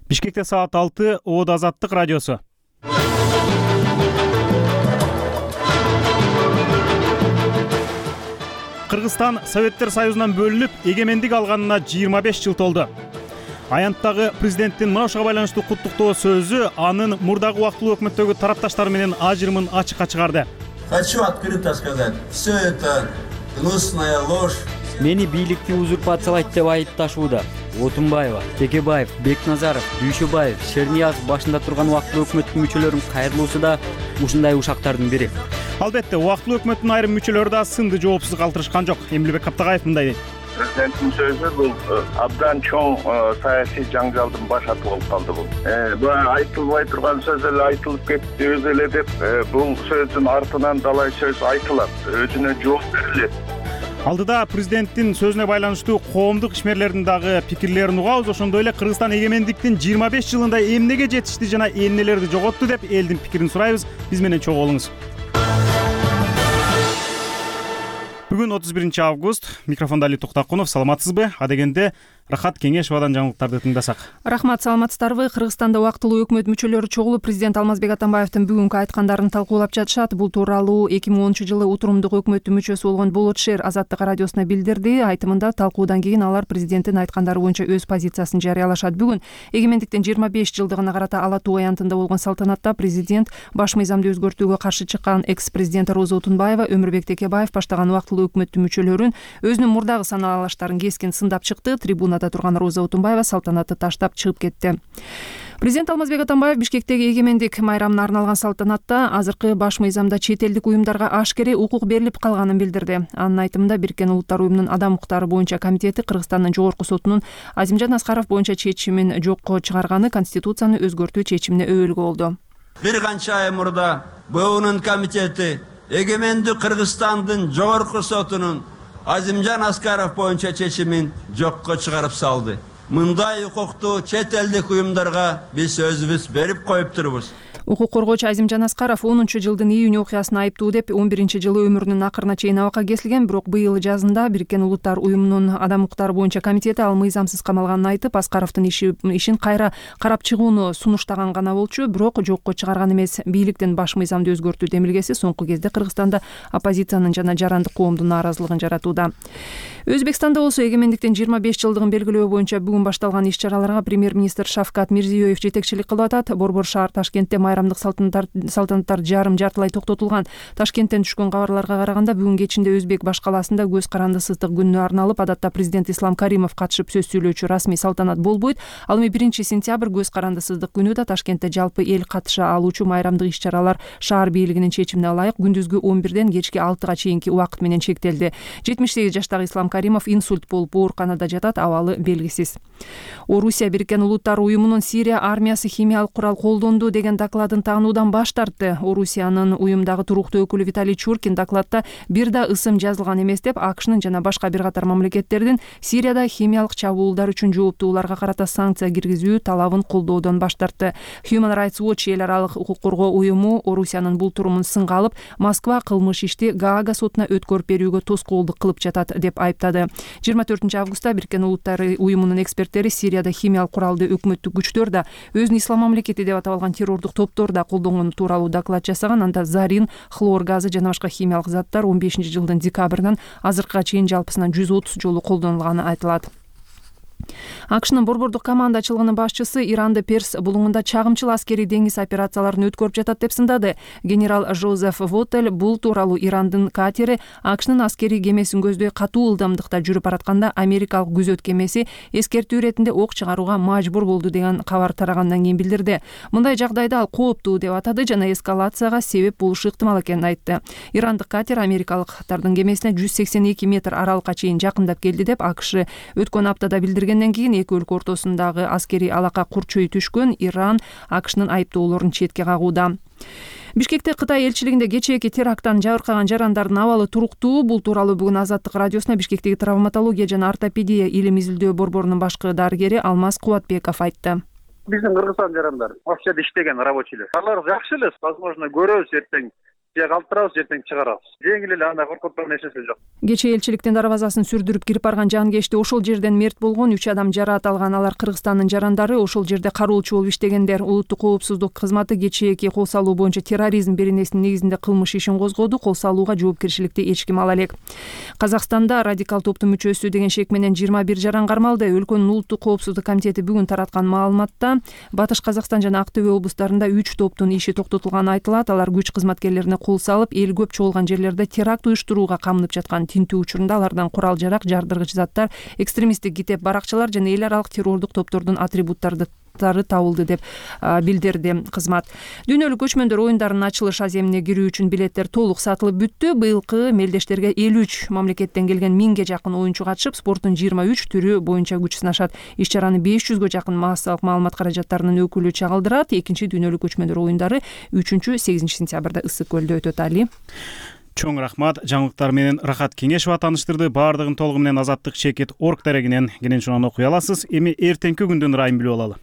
Бишкекте саат 6, Оодо Азаттык радиосу. Кыргызстан Советтер Союзунан бөлүнүп, эгемендик алганына 25 жыл толду. Аянттагы президенттин мына ушуга байланыштуу куттуктоо сөзү анын мурдагы убактылуу өкмөттөгү тарапташтары менен ажырымын ачыкка чыгарды. Хочу открыто сказать, все это гнусная ложь. Мени бийликти узурпациялайт деп айыпташууда. Отунбаева, Текебаев, Бекназаров, Дүйшөбаев, Шерниязов башында турган убактылуу өкмөттүн мүчөлөрүнүн кайрылуусу да ушундай ушактардын бири. Албетте, убактылуу өкмөттүн айрым мүчөлөрү да сынды жоопсуз калтырышкан жок. Эмилбек Каптагаев мындай дейт. Президенттин сөзү бул абдан чоң саясий жаңжалдын башаты болуп калды бул. Айтылбай турган сөз эле айтылып кетти өзү эле деп бул сөздүн артынан далай сөз айтылат, өзүнө жооп берилет. Алдыда президенттин сөзүнө байланыштуу коомдук ишмерлердин дагы пикирлерин угабыз. Ошондой эле Кыргызстан эгемендиктин 25 жылында эмнеге жетишти жана эмнелерди жоготту деп элдин пикирин сурайбыз. Биз менен чогуу болуңуз. Бүгүн 31 август. Микрофондо Али Токтакунов. Саламатсызбы? Адегенде Рахат Кеңешовадан жаңылыктарды тыңдасак. Рахмат, саламатсыздарбы? Кыргызстанда убактылуу өкмөт мүчөлөрү чогулуп, президент Алмазбек Атамбаевдин бүгүнкү айткандарын талкуулап жатышат. Бул тууралуу 2010-жылы утурумдук өкмөттүн мүчөсү болгон Болот Шер Азаттык радиосуна билдирди. Айтымында талкуудан кийин алар президенттин айткандары боюнча өз позициясын жарыялашат. Бүгүн эгемендиктин 25 жылдыгына карата Ала Тоо аянтында болгон салтанатта президент баш мыйзамды өзгөртүүгө каршы чыккан экс-президент Роза Отунбаева, Өмүрбек Текебаев баштаган убактылуу өкмөттүн мүчөлөрүн өзүнүн мурдагы саналаштарын кескин сындап чыкты. Трибунада турган Роза Отунбаева салтанатты таштап чыгып кетти. Президент Алмазбек Атамбаев Бишкектеги эгемендик майрамына арналган салтанатта азыркы баш мыйзамда чет элдик уюмдарга ашкере укук берилип калганын билдирди. Анын айтымында Бириккен Улуттар уюмунун адам укуктары боюнча комитети Кыргызстандын жогорку сотунун Азимжан Аскаров боюнча чечимин жокко чыгарганы Конституцияны өзгөртүү чечимине өбөлгө болду. Бир канча ай мурда БУнун комитети эгемендик Кыргызстандын жогорку сотунун Азимжан Аскаров боюнча чечимин жокко чыгарып салды. Мындай укукту чет элдик уюмдарга биз өзүбүз берип коюп турбуз. Укук коргоочу Азимжан Аскаров 10-жылдын июнь окуясына айыптуу деп 11-жылы өмүрүнүн акырына чейин абакка кесилген, бирок быйыл жазында Бириккен Улуттар уюмунун адам укуктары боюнча комитети ал мыйзамсыз камалганын айтып, Аскаровдун ишин кайра карап чыгууну сунуштаган гана болчу, бирок жокко чыгарган эмес. Бийликтин баш мыйзамды өзгөртүү демилгеси соңку кезде Кыргызстанда оппозициянын жана жарандык коомдун нааразылыгын жаратууда. Өзбекстанда болсо эгемендиктин 25 жылдыгын белгилөө боюнча бүгүн башталган иш-чараларга премьер-министр Шавкат Мирзиёев жетекчилик кылып атат. Борбор шаар Ташкентте майрамдык салтанаттар жарым-жартылай токтотулган. Ташкенттен түшкөн кабарларга караганда бүгүн кечинде Өзбек баш калаасында көз карандысыздык күнүнө арналып, адатта президент Ислам Каримов катышып сөз сүйлөөчү расмий салтанат болбойт. Ал эми 1-сентябрь көз карандысыздык күнү да Ташкентте жалпы эл катыша алуучу майрамдык иш-чаралар шаар бийлигинин чечимине ылайык күндүзгү 11-ден кечки 6-га чейинки убакыт менен чектелди. 78 жаштагы Ислам Каримов инсульт болуп ооруканада жатат, абалы белгисиз. Орусия Бириккен Улуттар уюмунун Сирия армиясы химиялык курал колдонду деген докладын таануудан баш тартты. Орусиянын уюмдагы туруктуу өкүлү Виталий Чуркин докладта бир да ысым жазылган эмес деп, АКШнын жана башка бир катар мамлекеттердин Сирияда химиялык чабуулдар үчүн жооптууларга карата санкция киргизүү талабын колдоодон баш тартты. Human Rights Watch эл аралык укук коргоо уюму Орусиянын бул турумун сынга алып, Москва кылмыш ишти Гаага сотуна өткөрүп берүүгө тоскоолдук кылып жатат деп айыптады. 24 августта Бириккен Улуттар уюмунун эксперттери Сирияда химиялык куралды өкмөттүк күчтөр да, өзүн ислам мамлекети деп аталган террордук топтор да колдонгону тууралуу доклад жасаган. Анда зарин, хлор газы жана башка химиялык заттар 15-жылдын декабрынан азыркыга чейин жалпысынан 130 жолу колдонулганы айтылат. АКШнын борбордук командачылыгынын башчысы Иранды Перс булуңунда чагымчыл аскерий деңиз операцияларын өткөрүп жатат деп сындады. Генерал Жозеф Вотель бул тууралуу Ирандын катери АКШнын аскерий кемесин көздөй катуу ылдамдыкта жүрүп баратканда америкалык күзөт кемеси эскертүү иретинде ок чыгарууга мажбур болду деген кабар тарагандан кийин билдирди. Мындай жагдайда ал кооптуу деп атады жана эскалацияга себеп болушу ыктымал экенин айтты. Ирандык катер америкалыктардын кемесине 182 метр аралыкка чейин жакындап келди деп АКШ өткөн аптада билдиргенден кийин эки өлкө ортосундагы аскерий алака курчой түшкөн. Иран АКШнын айыптоолорун четке кагууда. Бишкекте Кытай элчилигинде кечээки теракттан жабыркаган жарандардын абалы туруктуу. Бул тууралуу бүгүн Азаттык радиосуна Бишкектеги травматология жана ортопедия илим изилдөө борборунун башкы дарыгери Алмаз Кубатбеков айтты. Биздин Кыргызстан жарандары вообще иштеген рабочийлер. Алар жакшы эле, возможно, көрөбүз эртең же калтырабыз, же эртең чыгарабыз. Жеңил эле, андай коркуткан нерсеси жок. Кечээ элчиликтин дарбазасын сүрдүрүп кирип барган жангечти ошол жерден мерт болгон 3 адам жараат алган. Алар Кыргызстандын жарандары, ошол жерде кароолчу болуп иштегендер. Улуттук коопсуздук кызматы кечээки кол салуу боюнча терроризм беренесинин негизинде кылмыш ишин козгоду. Кол салууга жоопкерчиликти эч ким ала элек. Казакстанда радикал топтун мүчөсү деген шек менен 21 жаран кармалды. Өлкөнүн улуттук коопсуздук комитети бүгүн тараткан маалыматта Батыш Казакстан жана Актөбө облустарында 3 топтун иши токтотулганы айтылат. Алар күч кызматкерлерине кол салып, эл көп чогулган жерлерде теракт уюштурууга камынып жаткан. Тинтүү учурунда алардан курал-жарак, жардыргыч заттар, экстремисттик китеп, баракчалар жана эл аралык террордук топтордун атрибуттары табылды деп билдирди кызмат. Дүйнөлүк көчмөндөр оюндарынын ачылыш аземине кирүү үчүн билеттер толук сатылып бүттү. Быйылкы мелдештерге 53 мамлекеттен келген 1000ге жакын оюнчу катышып, спорттун 23 түрү боюнча күч сынашат. Иш-чараны 500гө жакын массалык маалымат каражаттарынын өкүлү чагылдырат. Экинчи дүйнөлүк көчмөндөр оюндары 3-8 сентябрда Ысык көлдө өтөт. Али. Чоң рахмат. Жаңылыктар менен Рахат Кеңешова тааныштырды. Баардыгын толугу менен Азаттык Чекит орг дарегинен кенен шунан окуй аласыз. Эми эртеңки күндүн ырайын билип алалы.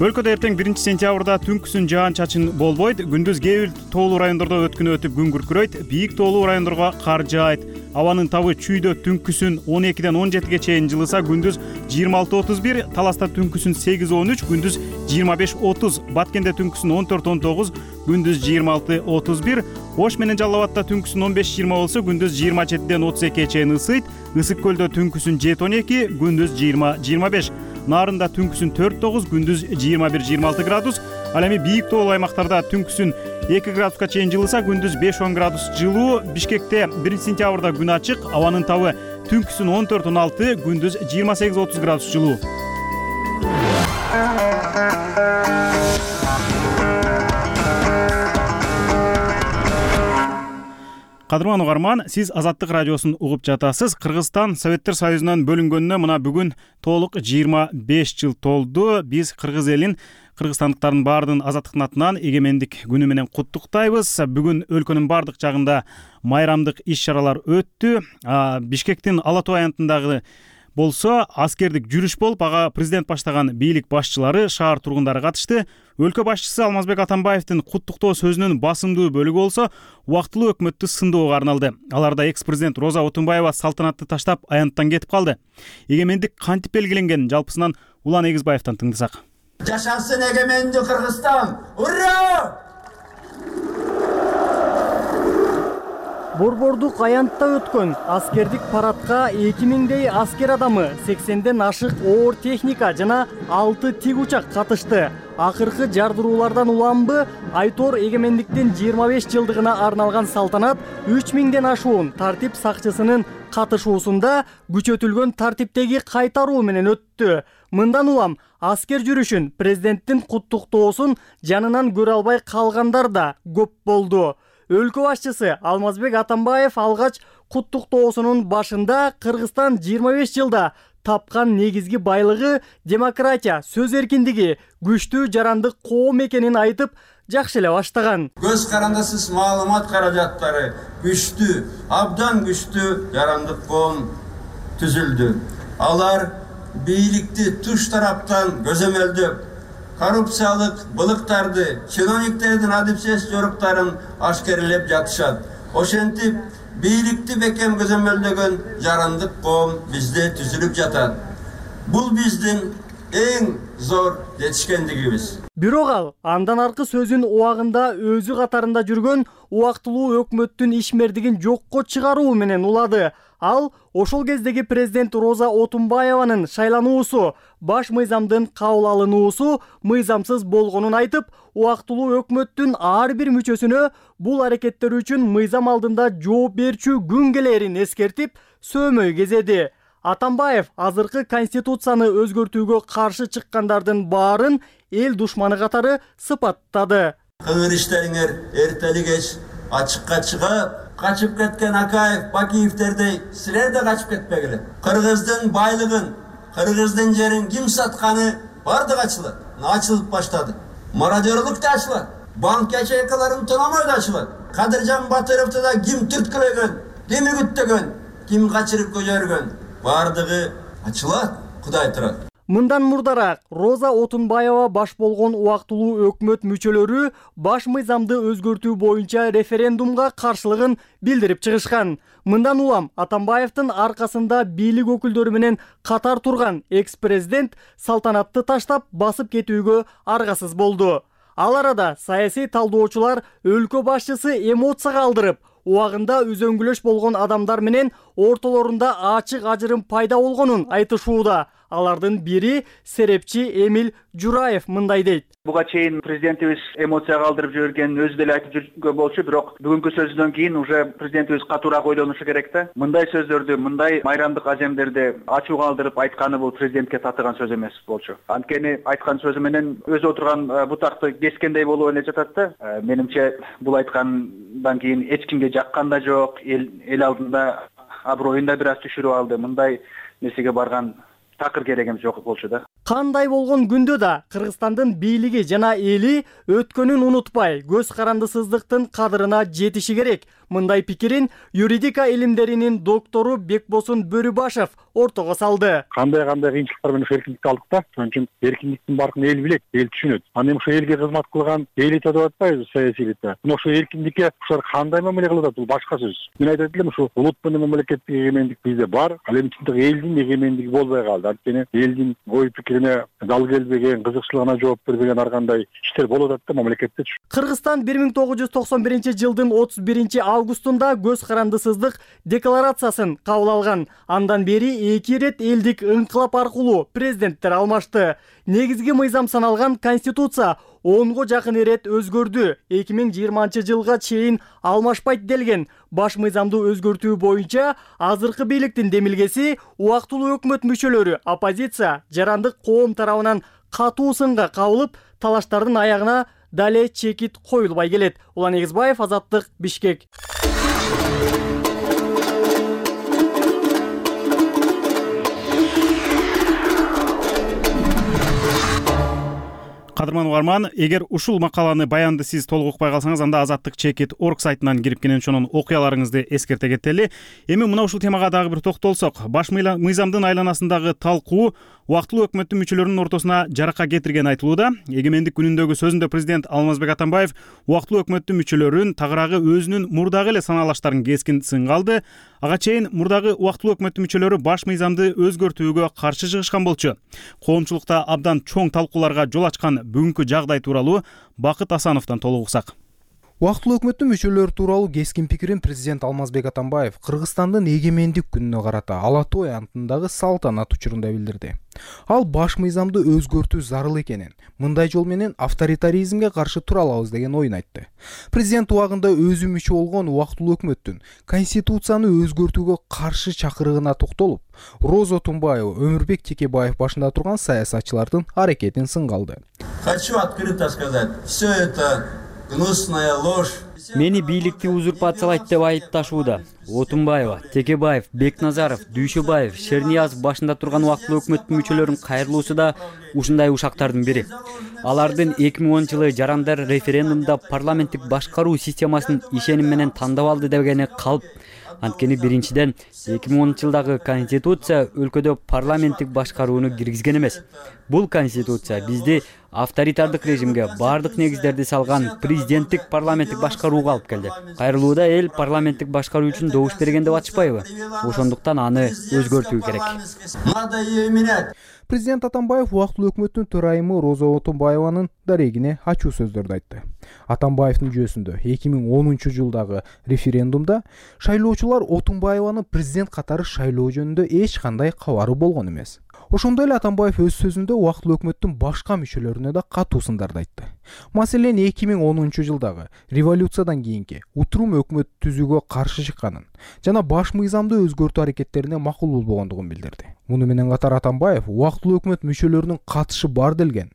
Өлкөдө эртең 1-сентябрда түнкүсүн жаан-чачын болбойт. Күндүз кээ бир тоолуу райондордо өткүнү өтүп күн күркүрөйт. Бийик тоолуу райондорго кар жаайт. Абанын табы чүйдө түнкүсүн 12-ден 17ге чейин жылыса, күндүз 26-31, Таласта түнкүсүн 8-13, күндүз 25-30, Баткенде түнкүсүн 14-19, күндүз 26-31, Ош менен Жалал Абадта түнкүсүн 15-20 болсо, күндүз 27-ден 32-ге чейин ысыйт. Ысык көлдө түнкүсүн 7-12, күндүз 20-25, Нарында түнкүсүн 4-9, күндүз 21-26 градус. Ал эми бийик тоолуу аймактарда түнкүсүн 2 градуска чейин жылыса, күндүз 5-10 градус жылуу. Бишкекте 1-сентябрда күн ачык, абанын табы түнкүсүн 14-16, күндүз 28-30 градус жылуу. Кадырман угарман, сиз Азаттык радиосун угуп жатасыз. Кыргызстан Советтер Союзунан бөлүнгөнүнө мына бүгүн толук 25 жыл толду. Биз кыргыз элин, кыргызстандыктардын баардыгын азаттыктын атынан эгемендик күнү менен куттуктайбыз. Бүгүн өлкөнүн баардык жагында майрамдык иш-чаралар өттү. Бишкектин Ала Тоо аянтындагы болсо аскердик жүрүш болуп, ага президент баштаган бийлик башчылары, шаар тургундары катышты. Өлкө башчысы Алмазбек Атамбаевдин куттуктоо сөзүнүн басымдуу бөлүгү болсо убактылуу өкмөттү сындоого арналды. Аларда экс-президент Роза Отунбаева салтанатты таштап аянттан кетип калды. Эгемендик кантип белгиленген, жалпысынан Улан Эгизбаевден тыңдасак. Жашасын эгемендик Кыргызстан! Ура! Борбордук аянтта өткөн аскердик парадка 2000дей аскер адамы, 80ден ашык оор техника жана 6 тик учак катышты. Акыркы жардыруулардан уламбы, Айтор эгемендиктин 25 жылдыгына арналган салтанат 3000ден ашуун тартип сакчысынын катышуусунда күчөтүлгөн тартиптеги кайтаруу менен өттү. Мындан улам аскер жүрүшүн, президенттин куттуктоосун жанынан көрө албай калгандар да көп болду. Өлкө башчысы Алмазбек Атамбаев алгач куттуктоосунун башында Кыргызстан 25 жылда тапкан негизги байлыгы демократия, сөз эркиндиги, күчтүү жарандык коом экенин айтып, жакшы эле баштаган. Көз карандысыз маалымат каражаттары күчтүү, абдан күчтүү жарандык коом түзүлдү. Алар бийликти туш тараптан көзөмөлдөп, коррупциялык былыктарды, чиновниктердин адепсиз жоруктарын ашкерлеп жатышат. Ошентип, бийликти бекем көзөмөлдөгөн жарандык коом бизде түзүлүп жатат. Бул биздин эң зор жетишкендигибиз. Бирок ал андан аркы сөзүн убагында өзү катарында жүргөн убактылуу өкмөттүн ишмердигин жокко чыгаруу менен улады. Ал ошол кездеги президент Роза Отунбаеванын шайлануусу, баш мыйзамдын кабыл алынуусу мыйзамсыз болгонун айтып, убактылуу өкмөттүн ар бир мүчөсүнө бул аракеттер үчүн мыйзам алдында жооп берчү күн келерин эскертип, сөөмөй кезеди. Атамбаев азыркы конституцияны өзгөртүүгө каршы чыккандардын баарын эл душманы катары сыпаттады. Кыңыр иштериңер эртели кеч ачыкка чыгып, качып кеткен Акаев, Бакиевтердей силер да качып кетпегиле. Кыргыздын байлыгын, кыргыздын жерин ким сатканы бардыгы ачылат. Ачылып баштады. Мародерлук да ачылат. Банк ячейкаларын тономой да ачылат. Кадыржан Батыровду да ким түрткүлөгөн, ким үгүттөгөн, ким качырып көжөргөн, бардыгы ачылат. Кудай турат. Мындан мурдараак Роза Отунбаева баш болгон убактылуу өкмөт мүчөлөрү баш мыйзамды өзгөртүү боюнча референдумга каршылыгын билдирип чыгышкан. Мындан улам Атамбаевдин аркасында бийлик өкүлдөрү менен катар турган экс-президент салтанатты таштап басып кетүүгө аргасыз болду. Ал арада саясий талдоочулар өлкө башчысы эмоцияга алдырып, убагында үзөңгүлөш болгон адамдар менен ортолорунда ачык ажырым пайда болгонун айтышууда. Алардын бири серепчи Эмиль Жураев мындай дейт. Буга чейин президентибиз эмоцияга алдырып жибергенин өзү деле айтып жүргөн болчу, бирок бүгүнкү сөзүнөн кийин уже президентибиз катуураак ойлонушу керек да. Мындай сөздөрдү, мындай майрамдык ажемдерди ачууга алдырып айтканы бул президентке татыган сөз эмес болчу. Анткени айткан сөзү менен өзү отурган бутакты кескендей болуп эле жатат да. Менимче бул айткандан кийин эч кимге жаккан да жок, эл алдында аброюн да бир аз түшүрүп алды. Мындай нерсеге барган такыр керек эмес жок болчу да. Кандай болгон күндө да Кыргызстандын бийлиги жана эли өткөнүн унутпай, көз карандысыздыктын кадырына жетиши керек. Мындай пикирин юридика илимдеринин доктору Бекбосун Бөрүбашев ортого салды. Кандай кыйынчылыктар менен эркиндикти алдык да. Ошон үчүн эркиндиктин баркын эл билет, эл түшүнөт. Анан ошо элге кызмат кылган элита деп атпайбызбы, саясий элита. Мына ошо эркиндикке ушулар кандай мамиле кылып атат, бул башка сөз. Мен айтат элем, ушу улут менен мамлекеттик эгемендик бизде бар, ал эми чындык элдин эгемендиги болбой калды. Анткени элдин ой пикирине дал келбеген, кызыкчылыгына жооп бербеген ар кандай иштер болуп атат да мамлекетте. Кыргызстан 1991-жылдын 31-августунда көз карандысыздык декларациясын кабыл алган. Андан бери 2 рет элдик ыңкылап аркылуу президенттер алмашты. Негизги мыйзам саналган конституция 10го жакын ирет өзгөрдү. 2020-жылга чейин алмашпайт делген баш мыйзамды өзгөртүү боюнча азыркы бийликтин демилгеси убактылуу өкмөт мүчөлөрү, оппозиция, жарандык коом тарабынан катуу сынга кабылып, талаштардын аягына дале чекит коюлбай келет. Улан Эгизбаев, Азаттык, Бишкек. Кадырман угарман, эгер ушул макаланы баянды сиз толук укпай калсаңыз, анда Азаттык Чекит.org сайтынан кирип кенен ошонун окуяларыңызды эскерте кетели. Эми мына ушул темага дагы бир токтолсок, баш мыйзамдын айланасындагы талкуу убактылуу өкмөттүн мүчөлөрүнүн ортосуна жарака кетиргени айтылууда. Эгемендик күнүндөгү сөзүндө президент Алмазбек Атамбаев убактылуу өкмөттүн мүчөлөрүн тагыраагы өзүнүн мурдагы эле санаалаштарын кескин сынга алды. Ага чейин мурдагы убактылуу өкмөттүн мүчөлөрү баш мыйзамды өзгөртүүгө каршы чыгышкан болчу. Коомчулукта абдан чоң талкууларга жол ачкан бүгүнкү жагдай тууралуу Бакыт Асановдон толук уксак. Убактылуу өкмөттүн мүчөлөрү тууралуу кескин пикирин президент Алмазбек Атамбаев Кыргызстандын эгемендик күнүнө карата Ала Той антындагы салтанат учурунда билдирди. Ал баш мыйзамды өзгөртүү зарыл экенин, мындай жол менен авторитаризмге каршы тура алабыз деген оюн айтты. Президент убагында өзү мүчө болгон убактылуу өкмөттүн конституцияны өзгөртүүгө каршы чакырыгына токтолуп, Роза Отунбаева, Өмүрбек Текебаев башында турган саясатчылардын аракетин сынга алды. Хочу открыто сказать, все это гнусная ложь. Мени бийликти узурпациялайт деп айыпташууда. Отунбаева, Текебаев, Бекназаров, Дүйшөбаев, Шерниязов башында турган убактылуу өкмөттүн мүчөлөрүн кайрылуусу да ушундай ушактардын бири. Алардын 2010-жылы жарандар референдумда парламенттик башкаруу системасын ишеним менен тандап алды дегени калп. Анткени биринчиден 2010-жылдагы конституция өлкөдө парламенттик башкарууну киргизген эмес. Бул конституция бизди авторитардык режимге бардык негиздерди салган президенттик парламенттик башкарууга алып келди. Кайрылууда эл парламенттик башкаруу үчүн добуш берген деп атышпайбы? Ошондуктан аны өзгөртүү керек. Президент Атамбаев убактылуу өкмөттүн төрайымы Роза Отунбаеванын дарегине ачуу сөздөрдү айтты. Атамбаевдин жүйөсүндө 2010-жылдагы референдумда шайлоочулар Отунбаеваны президент катары шайлоо жөнүндө эч кандай кабары болгон эмес. Ошондой эле Атамбаев өз сөзүндө убактылуу өкмөттүн башка мүчөлөрүнө да катуу сындарды айтты. Маселен, 2010-жылдагы революциядан кийинки утурум өкмөт түзүүгө каршы чыкканын жана баш мыйзамды өзгөртүү аракеттерине макул болбогондугун билдирди. Муну менен катар Атамбаев убактылуу өкмөт мүчөлөрүнүн катышы бар делген.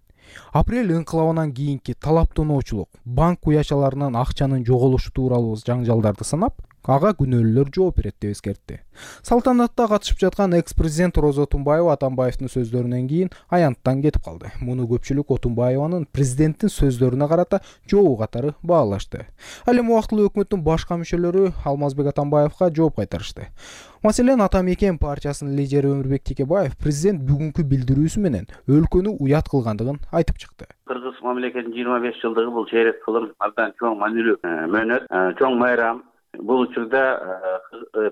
Апрель ыңкылабынан кийинки талаптоочулук, банк уячаларынан акчанын жоголушу тууралуу жаңжалдарды санап, ага күнөөлүүлөр жооп берет деп эскертти. Салтанатта катышып жаткан экс-президент Роза Отунбаева Атамбаевдин сөздөрүнөн кийин аянттан кетип калды. Муну көпчүлүк Отунбаеванын президенттин сөздөрүнө карата жообу катары баалашты. Ал эми убактылуу өкмөттүн башка мүчөлөрү Алмазбек Атамбаевга жооп кайтарышты. Маселен, Ата Мекен партиясынын лидери Өмүрбек Текебаев президент бүгүнкү билдирүүсү менен өлкөнү уят кылгандыгын айтып чыкты. Кыргыз мамлекетинин 25 жылдыгы бул чейрек кылым абдан чоң маанилүү мөөнөт, чоң майрам. Бул учурда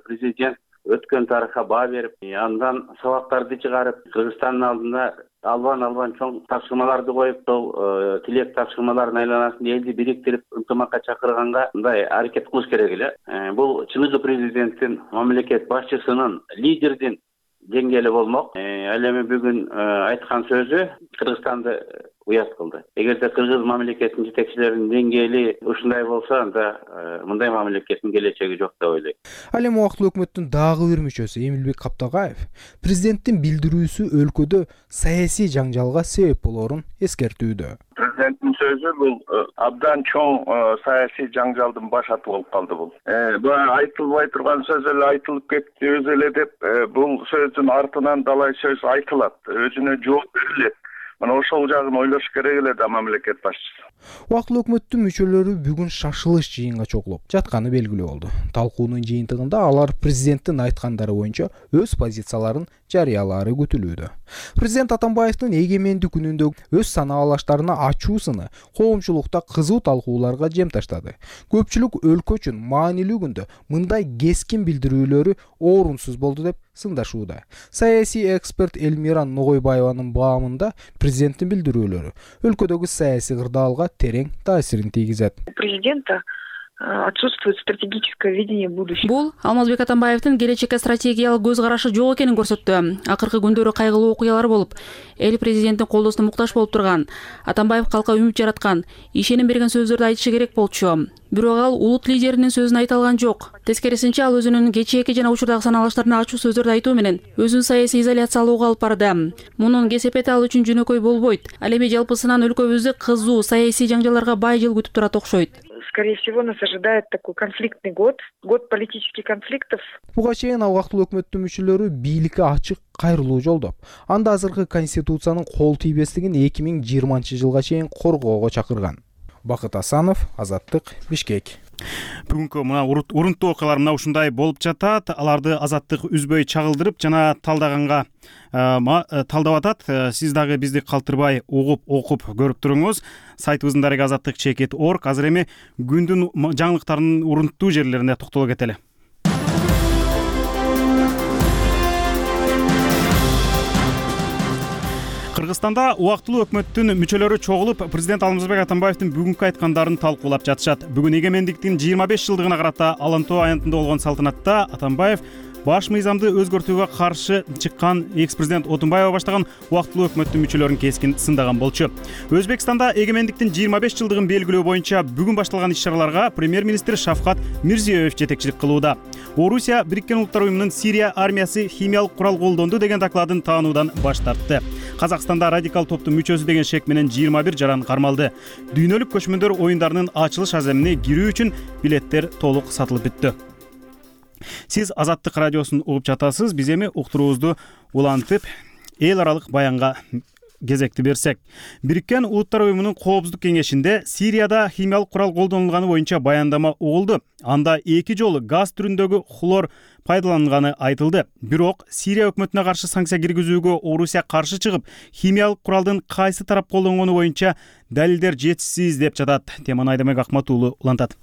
президент өткөн тарыхка баа берип, андан сабактарды чыгарып, Кыргызстандын алдына албан чоң тапшырмаларды коюп, сол тилек тапшырмаларынын айланасында элди бириктирип, ынтымакка чакырганга мындай аракет кылыш керек эле. Бул чыныгы президенттин, мамлекет башчысынын, лидердин деңгээли болмок. Ал эми бүгүн айткан сөзү Кыргызстанды уят кылды. Эгерде кыргыз мамлекетинин жетекчилеринин деңгээли ушундай болсо, анда мындай мамлекеттин келечеги жок деп ойлойм. Ал эми убактылуу өкмөттүн дагы бир мүчөсү Эмилбек Каптагаев президенттин билдирүүсү өлкөдө саясий жаңжалга себеп болоорун эскертүүдө. Президенттин сөзү бул абдан чоң саясий жаңжалдын башаты болуп калды бул. Айтылбай турган сөз эле айтылып кетти өзү эле деп, бул сөздүн артынан далай сөз айтылат, өзүнө жооп берилет. Мына ошол жагын ойлош керек эле да мамлекет башчысы. Убактылуу өкмөттүн мүчөлөрү бүгүн шашылыш жыйынга чогулуп жатканы белгилүү болду. Талкуунун жыйынтыгында алар президенттин айткандары боюнча өз позицияларын жарыялаары күтүлүүдө. Президент Атамбаевдин эгемендик күнүндө өз санаалаштарына ачуу сыны коомчулукта кызуу талкууларга жем таштады. Көпчүлүк өлкө үчүн маанилүү күндө мындай кескин билдирүүлөрү орунсуз болду деп сындашууда. Саясий эксперт Элмира Ногойбаеванын баамында президенттин билдирүүлөрү өлкөдөгү саясий кырдаалга терең таасирин тийгизет. Президента отсутствует стратегическое видение будущего. Бул Алмазбек Атамбаевдин келечекке стратегиялык көз карашы жок экенин көрсөттү. Акыркы күндөрү кайгылуу окуялар болуп, эл президенттин колдоосуна муктаж болуп турган. Атамбаев калкка үмүт жараткан, ишеним берген сөздөрдү айтышы керек болчу. Бирок ал улут лидеринин сөзүн айта алган жок. Тескерисинче, ал өзүнүн кечээки жана учурдагы санаалаштарына ачуу сөздөрдү айтуу менен өзүн саясий изоляциялоого алып барды. Мунун кесепети ал үчүн жөнөкөй болбойт. Ал эми жалпысынан өлкөбүздү кызуу саясий жаңжалдарга бай жыл күтүп турат окшойт. Скорее всего, нас ожидает такой конфликтный год политических конфликтов. Буга чейин убактылуу өкмөттүн мүчөлөрү бийликке ачык кайрылуу жолдоп, анда азыркы конституциянын кол тийбестигин 2020-жылга чейин коргоого чакырган. Бакыт Асанов, Азаттык, Бишкек. Бүгүнкү мына урунттуу окуялар мына ушундай болуп жатат. Аларды Азаттык үзбөй чагылдырып жана талдаганга талдап атат. Сиз дагы бизди калтырбай угуп, окуп көрүп туруңуз. Сайтыбыздын дареги azattik.org. Азыр эми күндүн жаңылыктарынын урунттуу жерлерине токтоло кетели. Кыргызстанда убактылуу өкмөттүн мүчөлөрү чогулуп, президент Алмазбек Атамбаевдин бүгүнкү айткандарын талкуулап жатышат. Бүгүн эгемендиктин 25 жылдыгына карата Алантоо аянтында болгон салтанатта Атамбаев баш мыйзамды өзгөртүүгө каршы чыккан экс-президент Отунбаева баштаган убактылуу өкмөттүн мүчөлөрүн кескин сындаган болчу. Өзбекстанда эгемендиктин 25 жылдыгын белгилөө боюнча бүгүн башталган иш-чараларга премьер-министр Шавкат Мирзиёев жетекчилик кылууда. Орусия Бириккен Улуттар уюмунун Сирия армиясы химиялык курал колдонду деген докладын таануудан баш тартты. Казакстанда радикал топтун мүчөсү деген шек менен 21 жаран кармалды. Дүйнөлүк көчмөндөр оюндарынын ачылыш аземине кирүү үчүн билеттер толук сатылып бүттү. Сиз Азаттык радиосун угуп жатасыз. Биз эми уктуруубузду улантып, эл аралык баянга кезекти берсек. Бириккен Улуттар уюмунун коопсуздук кеңешинде Сирияда химиялык курал колдонулганы боюнча баяндама угулду. Анда 2 жолу газ түрүндөгү хлор пайдаланганы айтылды. Бирок Сирия өкмөтүнө каршы санкция киргизүүгө Орусия каршы чыгып, химиялык куралдын кайсы тарап колдонгону боюнча далилдер жетишсиз деп жатат. Теманы Айдамек Акматуулу улантат.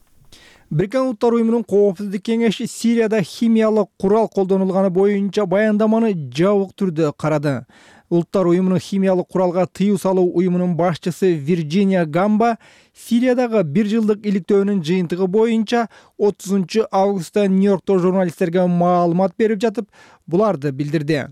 Бириккен Улуттар уюмунун коопсуздук кеңеши Сирияда химиялык курал колдонулганы боюнча баяндаманы жабык түрдө карады. Улуттар уюмунун химиялык куралга тыюу салуу уюмунун башчысы Вирджиния Гамба Сириядагы 1 жылдык иликтөөнүн жыйынтыгы боюнча 30 августта Нью-Йоркто журналисттерге маалымат берип жатып, буларды билдирди.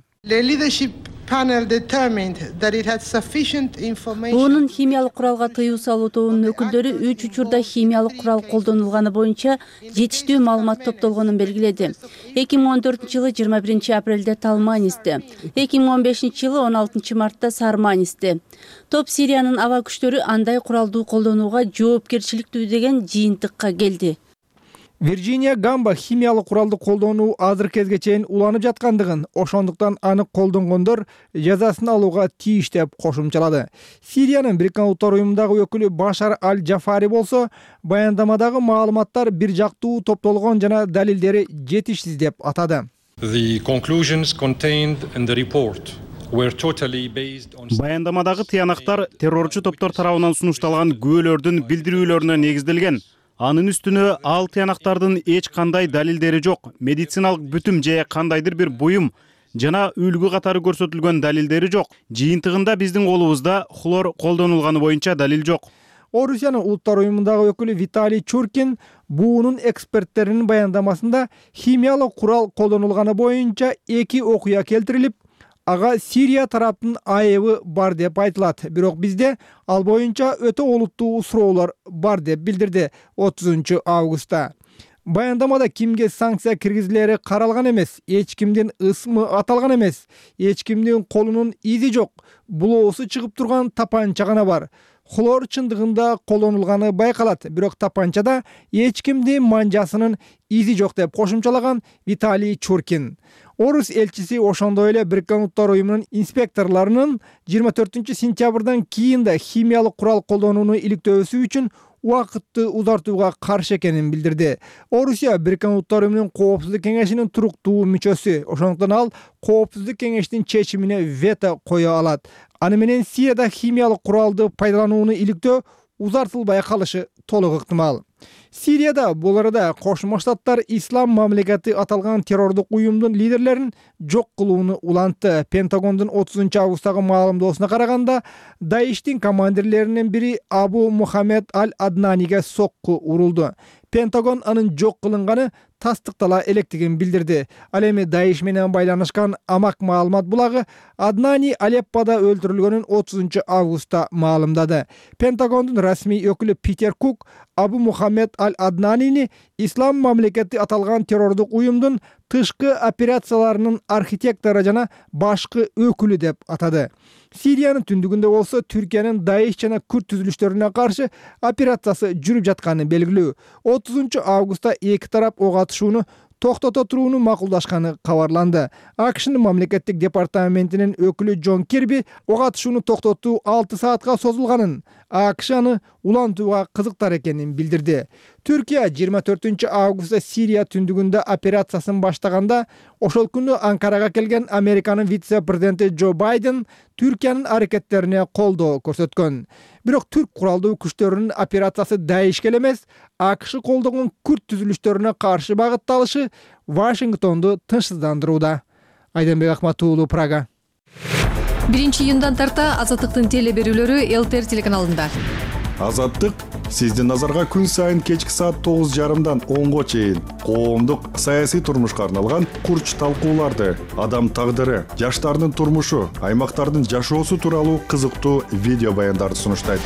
Буунун химиялык куралга тыюу салуу тобунун өкүлдөрү 3 учурда химиялык курал колдонулганы боюнча жетиштүү маалымат топтолгонун белгиледи. 2014-жылы 21 апрелде Талманисте, 2015-жылы 16 мартта Сарманисте. Топ Сириянын аба күчтөрү андай куралдуу колдонууга жоопкерчиликтүү деген жыйынтыкка келди. Вирджиния Гамба химиялык куралды колдонуу азыр кезге чейин уланып жаткандыгын, ошондуктан аны колдонгондор жазасын алууга тийиш деп кошумчалады. Сириянын Бириккен Улуттар Уюмундагы өкүлү Башар Аль-Джафари болсо, баяндамадагы маалыматтар бир жактуу топтолгон жана далилдери жетишсиз деп атады. The conclusions contained in the report were totally based on Баяндамадагы тыянактар террорчу топтор тарабынан сунушталган күбөлөрдүн билдирүүлөрүнө негизделген. Анын үстүнө ал тыянактардын эч кандай далилдери жок, медициналык бүтүм же кандайдыр бир буюм жана үлгү катары көрсөтүлгөн далилдери жок. Жыйынтыгында биздин колубузда хлор колдонулганы боюнча далил жок. Орусиянын Улуттар Уюмундагы өкүлү Виталий Чуркин буунун эксперттеринин баяндамасында химиялык курал колдонулганы боюнча 2 окуя келтирилип, ага Сирия тараптын айыбы бар деп айтылат. Бирок бизде ал боюнча өтө олуттуу суроолор бар деп билдирди 30 августта. Баяндамада кимге санкция киргизилери каралган эмес, эч кимдин ысмы аталган эмес, эч кимдин колунун изи жок, булоосу чыгып турган тапанча гана бар. Хлор чындыгында колдонулганы байкалат, бирок тапанчада эч кимдин манжасынын изи жок деп кошумчалаган Виталий Чуркин. Орус элчиси ошондой эле Бириккен Улуттар Уюмунун инспекторлорунун 24 сентябрдан кийин да химиялык курал колдонууну иликтөөсү үчүн убакытты узартууга каршы экенин билдирди. Орусия Бириккен Улуттар Уюмунун Коопсуздук кеңешинин туруктуу мүчөсү, ошондуктан ал Коопсуздук кеңештин чечимине вето кое алат. Аны менен Сирияда химиялык куралды пайдаланууну иликтөө узартылбай калышы толук ыктымал. Сирияда бул арада Кошмо Штаттар Ислам мамлекети аталган террордук уюмдун лидерлерин жок кылууну улантты. Пентагондун 30 августтагы маалымдоосуна караганда, Даиштин командирлеринин бири Абу Мухаммед Аль-Аднаниге сокку урулду. Пентагон анын жок кылынганы тастыктала электигин билдирди. Ал эми Даиш менен байланышкан амак маалымат булагы Аднани Алеппода өлтүрүлгөнүн 30 августта маалымдады. Пентагондун расмий өкүлү Питер Кук Абу Мухаммед Аль-Аднанини Ислам мамлекети аталган террордук уюмдун тышкы операцияларынын архитектору жана башкы өкүлү деп атады. Сириянын түндүгүндө болсо Түркиянын Даиш жана Күрд түзүлүштөрүнө каршы операциясы жүрүп жатканы белгилүү. 30 августта эки тарап ок атышууну токтото турууну макулдашканы кабарланды. АКШнын мамлекеттик департаментинин өкүлү Джон Кирби ок атышууну токтотуу 6 саатка созулганын, АКШ аны улантууга кызыктар экенин билдирди. Түркия 24 августта Сирия түндүгүндө операциясын баштаганда, ошол күнү Анкарага келген Американын вице-президенти Джо Байден Түркиянын аракеттерине колдоо көрсөткөн. Бирок түрк куралдуу күчтөрүнүн операциясы Даишке эмес, АКШ колдогон Күрд түзүлүштөрүнө каршы багытталышы Вашингтонду тынчсыздандырууда. Айденбек Акматуулу, Прага. 1-июндан тарта Азаттыктын теле берүүлөрү ЛТР телеканалында. Азаттык сиздин назарга күн сайын кечки саат 9:30дан 10го чейин коомдук саясий турмушка арналган курч талкууларды, адам тагдыры, жаштардын турмушу, аймактардын жашоосу тууралуу кызыктуу видео баяндарды сунуштайт.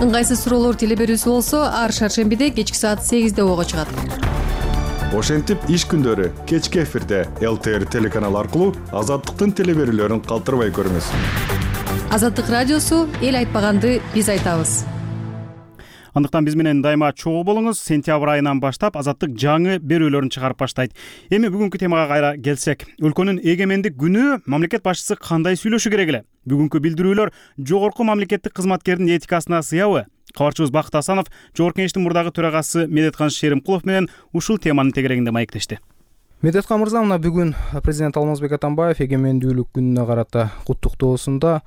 Ыңгайсыз суроолор теле берүүсү болсо, ар шаршембиде кечки саат 8де ого чыгат. Ошентип иш күндөрү кечки эфирде ЛТР телеканалы аркылуу Азаттыктын теле берүүлөрүн калтырбай көрүңүз. Азаттык радиосу эл айтпаганды биз айтабыз. Андыктан биз менен дайыма чогуу болуңуз. Сентябрь айынан баштап Азаттык жаңы берүүлөрүн чыгарып баштайт. Эми бүгүнкү темага кайра келсек, өлкөнүн эгемендик күнү мамлекет башчысы кандай сүйлөшү керек эле? Бүгүнкү билдирүүлөр жогорку мамлекеттик кызматкердин этикасына сыябы? Кабарчыбыз Бакыт Асанов Жогорку Кеңештин мурдагы төрагасы Медеткан Шеримкулов менен ушул теманын тегерегинде маектешти. Медеткан мырза, мына бүгүн президент Алмазбек Атамбаев эгемендүүлүк күнүнө карата куттуктоосунда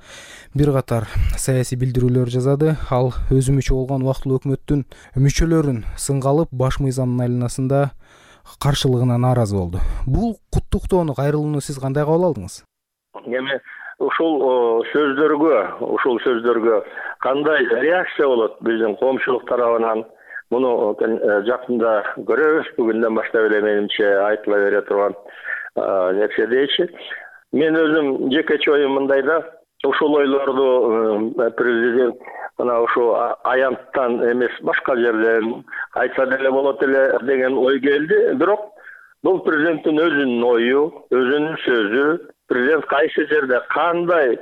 бир катар саясий билдирүүлөр жазады. Ал өзү мүчө болгон убактылуу өкмөттүн мүчөлөрүн сынга алып, баш мыйзамдын айланасында каршылыгына нааразы болду. Бул куттуктоону, кайрылууну сиз кандай кабыл алдыңыз? Эми ушул сөздөргө кандай реакция болот биздин коомчулук тарабынан? Муну жакында көрөбүз. Бүгүндөн баштап эле менимче айтыла бере турган нерсе дейчи. Мен өзүм жекече оюм мындай да, ушул ойлорду президент мына ушу аянттан эмес башка жерден айтса деле болот эле деген ой келди. Бирок бул президенттин өзүнүн ою, өзүнүн сөзү. Президент кайсы жерде кандай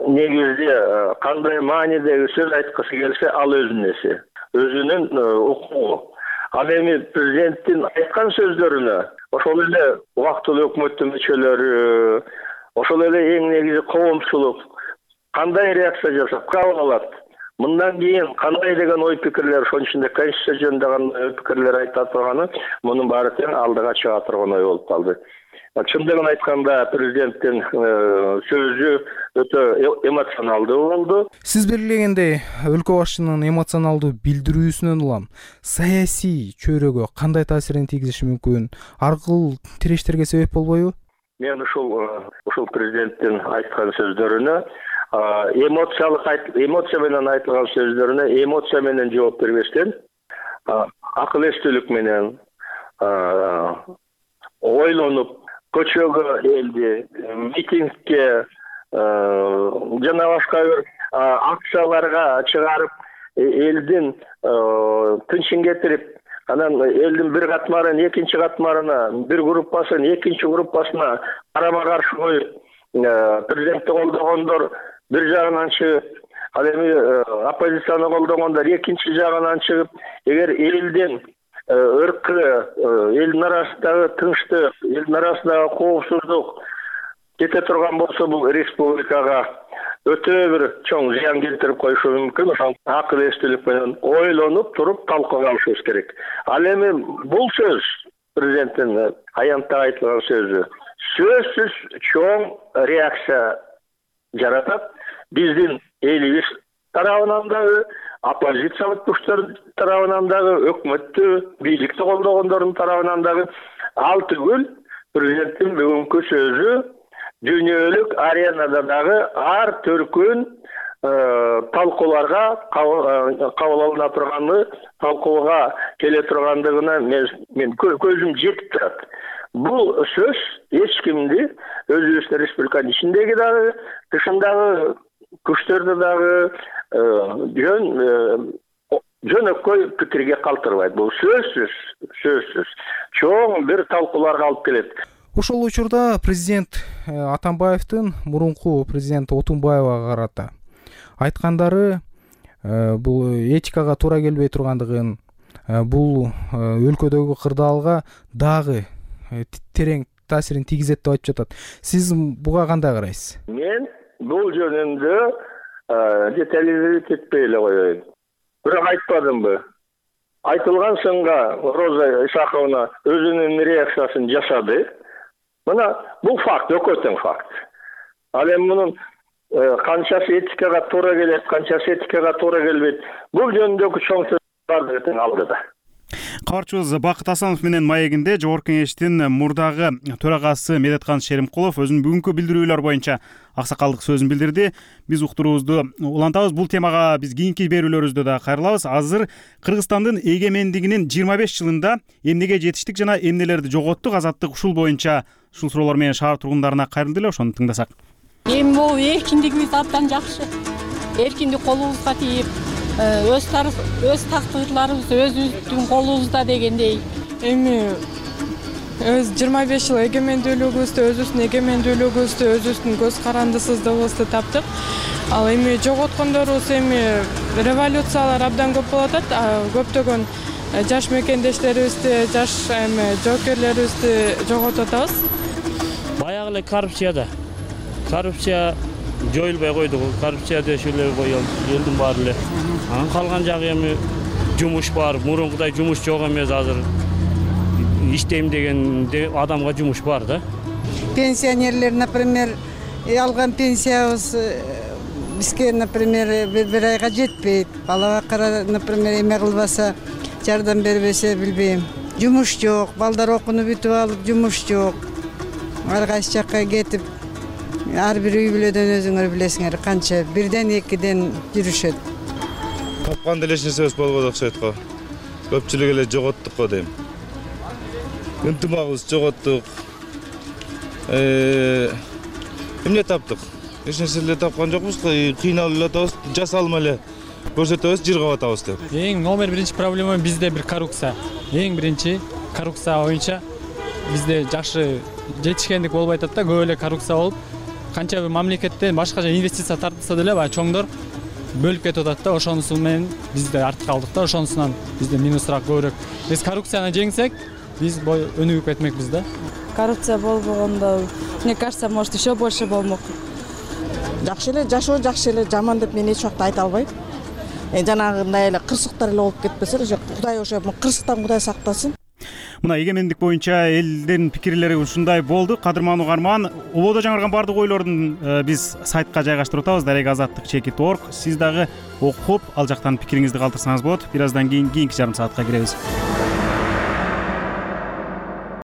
негизде кандай маанидеги сөз айткысы келсе, ал өзүнүн эси. өзүнүн укугу. Ал эми президенттин айткан сөздөрүнө ошол эле убактылуу өкмөттүн мүчөлөрү, ошол эле эң негизи коомчулук кандай реакция жасап кабыл алат? Мындан кийин кандай деген ой пикирлер, ошонун ичинде конституция жөнүндө кандай ой пикирлер айта турганы, мунун баары тең алдыга чыга турган ой болуп калды. Чындыгын айтканда президенттин сөзү өтө эмоционалдуу болду. Сиз белгилегендей, өлкө башчынын эмоционалдуу билдирүүсүнөн улам саясий чөйрөгө кандай таасирин тийгизиши мүмкүн? Аркыл тирештерге себеп болбойбу? Мен ушул президенттин айткан сөздөрүнө эмоция менен айтылган сөздөрүнө эмоция менен жооп бербестен, акыл эстүүлүк менен ойлонуп, көчөгө элди, митингге жана башка бир акцияларга чыгарып, элдин тынчын кетирип, анан элдин бир катмарын экинчи катмарына, бир группасын экинчи группасына карама каршы коюп, президентти колдогондор бир жагынан чыгып, ал эми оппозицияны колдогондор экинчи жагынан чыгып, эгер элдин ыркы, элдин арасындагы тынчтык, элдин арасындагы коопсуздук кете турган болсо, бул республикага өтө бир чоң зыян келтирип коюшу мүмкүн. Ошон акыл эстүүлүк менен ойлонуп туруп талкууга алышыбыз керек. Ал эми бул сөз президенттин аянтта айтылган сөзү сөзсүз чоң реакция жаратат. Биздин элибиз тарабынан дагы, оппозициялык күчтөр тарабынан дагы, өкмөттү, бийликти колдогондордун тарабынан дагы. Ал түгүл, президенттин бүгүнкү сөзү дүйнөлүк аренада дагы ар түркүн талкууларга кабыл алына турганы, талкууга келе тургандыгына мен көзүм жетип турат. Бул сөз эч кимди өзүбүздүн республиканын ичиндеги дагы, тышындагы күчтөрдү дагы жөнөкөй пикирге калтырбайт. Бул сөзсүз чоң бир талкууларга алып келет. Ошол учурда президент Атамбаевдин мурунку президент Отунбаевага карата айткандары бул этикага туура келбей тургандыгын, бул өлкөдөгү кырдаалга дагы терең таасирин тийгизет деп айтып жатат. Сиз буга кандай карайсыз? Мен бул жөнүндө детализировать этпей эле коеюн. Бирок айтпадымбы? Айтылган сынга Роза Исаковна өзүнүн реакциясын жасады. Мына бул факт, экөө тең факт. Ал эми мунун канчасы этикага туура келет, канчасы этикага туура келбейт. Бул жөнүндөгү чоң сөз бардыгы тең алдыда. Кабарчыбыз Бакыт Асанов менен маегинде Жогорку Кеңештин мурдагы төрагасы Медеткан Шеримкулов өзүнүн бүгүнкү билдирүүлөр боюнча аксакалдык сөзүн билдирди. Биз уктуруубузду улантабыз. Бул темага биз кийинки берүүлөрүбүздө да кайрылабыз. Азыр Кыргызстандын эгемендигинин 25 жылында эмнеге жетиштик жана эмнелерди жоготтук, азаттык ушул боюнча ушул суроолор менен шаар тургундарына кайрылды эле, ошону тыңдасак. Эми бул эркиндигибиз абдан жакшы. Эркиндик колубузга тийип, өз тактырларыбыз өзүбүздүн колубузда дегендей. Эми өз 25 жыл эгемендүүлүгүбүздү, өзүбүздүн эгемендүүлүгүбүздү, өзүбүздүн көз карандысыздыгыбызды таптык. Ал эми жоготкондорубуз эми революциялар абдан көп болуп атат. Көптөгөн жаш мекендештерибизди, жаш жоокерлерибизди жоготуп атабыз. Баягы эле коррупция жоюлбай койду. Коррупция дешип эле элдин баары эле. Калган жагы эми жумуш бар. Мурункудай жумуш жок эмес азыр. Иштейм деген адамга жумуш бар да. Пенсионерлер, например, алган пенсиябыз бизге, например, бир айга жетпейт. Бала бакара, например, эме кылбаса, жардам бербесе билбейм. Жумуш жок, балдар окууну бүтүп алып, жумуш жок. Ар кайсы жакка кетип, ар бир үй бүлөдөн өзүңөр билесиңер, канча бирден экиден жүрүшөт. Тапканда эч нерсебиз болбоду окшойт го. Көпчүлүк эле жоготтук го дейм. Ынтымагыбыз жоготтук. Эмне таптык? Эч нерсе эле тапкан жокпуз. Кыйналып эле атабыз, жасалма эле көрсөтөбүз, жыргап атабыз деп. Эң номер биринчи проблема бизде бир коррупция. Эң биринчи коррупция боюнча бизде жакшы жетишкендик болбой атат да, көп эле коррупция болуп, канча бир мамлекеттен башкача инвестиция тартылса деле, баягы чоңдор бөлүп кетип атат да, ошонусу менен биз да артка калдык да, ошонусунан бизде минусураак көбүрөөк. Биз коррупцияны жеңсек, биз өнүгүп кетмекпиз да. Коррупция болбогондо, мне кажется, может еще больше болмок. Жакшы эле жашоо, жакшы эле жаман деп мен эч убакта айта албайм. Жанагындай эле кырсыктар эле болуп кетпесе эле, Кудай ошо кырсыктан Кудай сактасын. Мына эгемендик боюнча элдин пикирлери ушундай болду. Кадырман угарман, ободо жаңырган бардык ойлордун биз сайтка жайгаштырып атабыз, darega.azattik.org. Сиз дагы окуп, ал жактан пикириңизди калтырсаңыз болот. Бир аздан кийин кийинки жарым саатка киребиз.